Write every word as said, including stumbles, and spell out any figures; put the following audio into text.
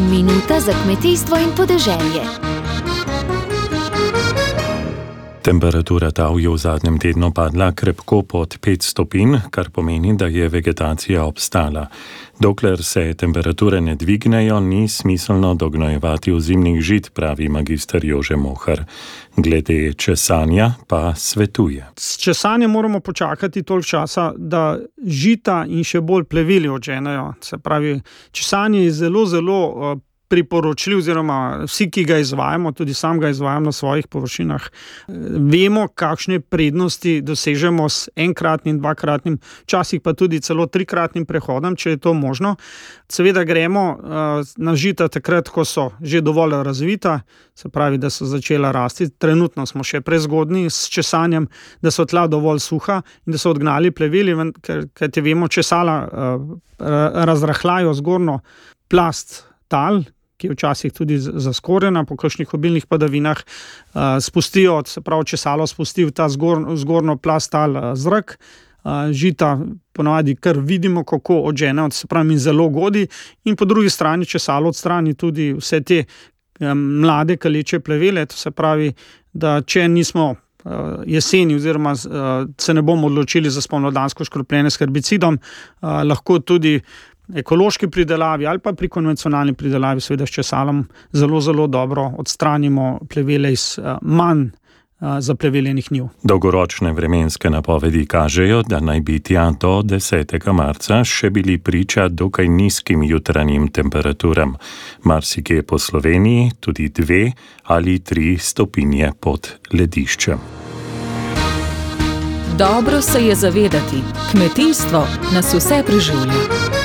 Minuta za kmetijstvo in podeželje. Temperatura tal je v zadnjem tednu padla krepko pod pet stopinj, kar pomeni, da je vegetacija obstala. Dokler se temperature ne dvignejo, ni smiselno dognojevati ozimnih žit, pravi magister Jože Mohar. Glede česanja pa svetuje. S česanjem moramo počakati toliko časa, da žita in še bolj pleveli odženejo. Se pravi, česanje je zelo, zelo uh, priporočljiv, oziroma vsi, ki ga izvajamo, tudi sam ga izvajam na svojih površinah, vemo, kakšne prednosti dosežemo s enkratnim, dvakratnim, včasih pa tudi celo trikratnim prehodom, če je to možno. Seveda gremo uh, na žita takrat, ko so že dovolj razvita, se pravi, da so začela rasti. Trenutno smo še prezgodni s česanjem, da so tla dovolj suha in da so odgnali pleveli, ker, ker te vemo, česala uh, razrahljajo zgornjo plast tal, ki je včasih tudi zaskorjena po kakšnih obilnih padavinah, spustijo, se pravi, česalo spusti v ta zgor, zgornjo plast tal zrak, žita ponavadi kar vidimo, kako odžene, se pravi, in zelo godi, in po drugi strani česalo odstrani tudi vse te mlade kaleče plevele, to se pravi, da če nismo jeseni oziroma se ne bomo odločili za spomladansko škropljenje s herbicidom, lahko tudi ekološki pridelavi ali pa pri konvencionalni pridelavi, seveda s česalom, zelo, zelo dobro odstranimo plevele iz manj zapleveljenih njiv. Dolgoročne vremenske napovedi kažejo, da naj bi tja do desetega marca še bili priča dokaj nizkim jutranjim temperaturam. Marsikje po Sloveniji tudi dve ali tri stopinje pod lediščem. Dobro se je zavedati, kmetijstvo nas vse preživlja.